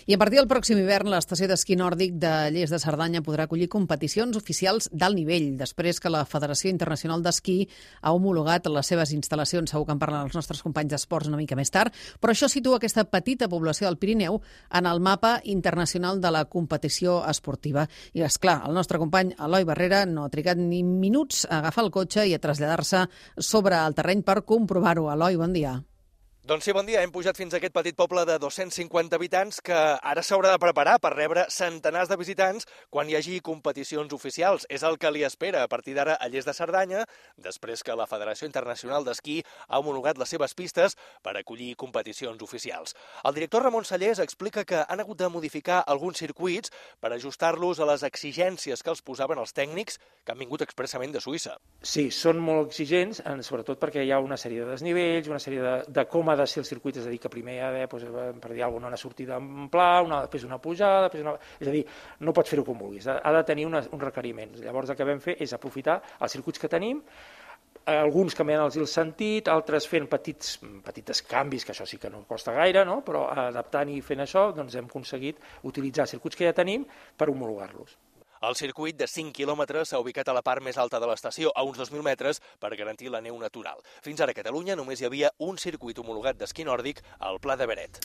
I a partir del pròxim hivern, l'estació d'esquí nòrdic de Lles de Cerdanya podrà acollir competicions oficials d'alt nivell, després que la Federació Internacional d'Esquí ha homologat les seves instal·lacions. Segur que en parlen els nostres companys d'esports una mica més tard, però això situa aquesta petita població del Pirineu en el mapa internacional de la competició esportiva. I, esclar, el nostre company Eloi Barrera no ha trigat ni minuts a agafar el cotxe i a traslladar-se sobre el terreny per comprovar-ho. Eloi, bon dia. Doncs sí, bon dia. Hem pujat fins a aquest petit poble de 250 habitants que ara s'haurà de preparar per rebre centenars de visitants quan hi hagi competicions oficials. És el que li espera a partir d'ara a Lles de Cerdanya, després que la Federació Internacional d'Esquí ha homologat les seves pistes per acollir competicions oficials. El director Ramon Sallés explica que han hagut de modificar alguns circuits per ajustar-los a les exigències que els posaven els tècnics que han vingut expressament de Suïssa. Sí, són molt exigents, sobretot perquè hi ha una sèrie de desnivells, una sèrie de com ha de ser el circuit, és a dir, que primer hi ha d'haver, per dir alguna cosa, una sortida en pla, després una pujada, és a dir, no pots fer-ho com vulguis, ha de tenir uns requeriments. Llavors el que vam fer és aprofitar els circuits que tenim, alguns canviant-los el sentit, altres fent petits canvis, que això sí que no costa gaire, no? Però adaptant i fent això doncs hem aconseguit utilitzar circuits que ja tenim per homologar-los. El circuit de 5 quilòmetres s'ha ubicat a la part més alta de l'estació, a uns 2.000 metres, per garantir la neu natural. Fins ara a Catalunya només hi havia un circuit homologat d'esquí nòrdic al Pla de Beret.